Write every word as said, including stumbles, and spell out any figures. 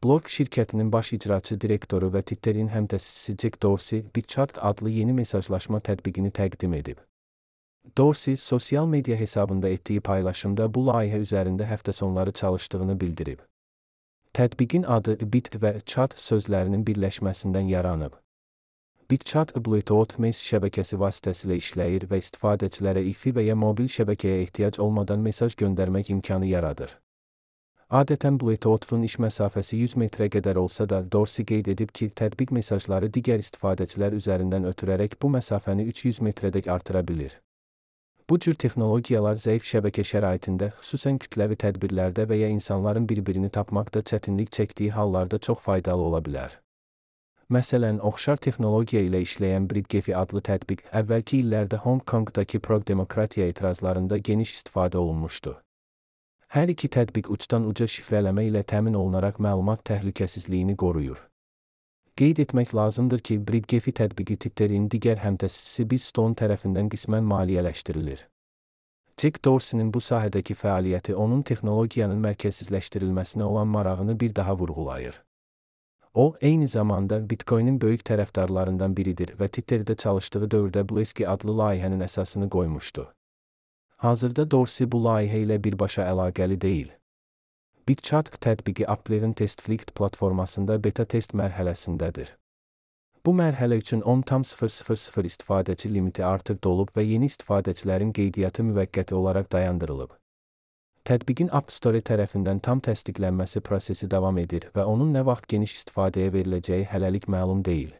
Block şirkətinin baş icraçı direktoru və Twitterin həmtəsisi Jack Dorsey BitChat adlı yeni mesajlaşma tətbiqini təqdim edib. Dorsey, sosial media hesabında etdiyi paylaşımda bu layihə üzərində həftə sonları çalışdığını bildirib. Tətbiqin adı Bit və Chat sözlərinin birləşməsindən yaranıb. BitChat Bluetooth mes şəbəkəsi vasitəsilə işləyir və istifadəçilərə Wi-Fi və ya mobil şəbəkəyə ehtiyac olmadan mesaj göndərmək imkanı yaradır. Adətən Bluetooth-un iş məsafəsi yüz metrə qədər olsa da, Dorsey qeyd edib ki, tətbiq mesajları digər istifadəçilər üzərindən ötürərək bu məsafəni üç yüz metrədək artıra bilir. Bu cür texnologiyalar zəif şəbəkə şəraitində, xüsusən kütləvi tədbirlərdə və ya insanların bir-birini tapmaqda çətinlik çəkdiyi hallarda çox faydalı ola bilər. Məsələn, oxşar texnologiya ilə işləyən BritGefi adlı tətbiq əvvəlki illərdə Hong Kongdakı pro-demokratiya etirazlarında geniş istifadə olunmuşdu. Hər iki tətbiq uçdan uca şifrələmə ilə təmin olunaraq məlumat təhlükəsizliyini qoruyur. Qeyd etmək lazımdır ki, BritGefi tətbiqi Twitterin digər həmtəsisi BizStone tərəfindən qismən maliyyələşdirilir. Jack Dorsey'nin bu sahədəki fəaliyyəti onun texnologiyanın mərkəzsizləşdirilməsinə olan marağını bir daha vurğulayır. O, eyni zamanda Bitcoin'in böyük tərəfdarlarından biridir və Twitterdə çalışdığı dövrdə Bluesky adlı layihənin əsasını qoymuşdu. Hazırda Dorsey bu layihə ilə birbaşa əlaqəli deyil. BitChat tətbiqi Apple'in TestFlight platformasında beta test mərhələsindədir. Bu mərhələ üçün on tam sıfır sıfır sıfır istifadəçi limiti artıq dolub və yeni istifadəçilərin qeydiyyatı müvəqqəti olaraq dayandırılıb. Tətbiqin App Store tərəfindən tam təsdiqlənməsi prosesi davam edir və onun nə vaxt geniş istifadəyə veriləcəyi hələlik məlum deyil.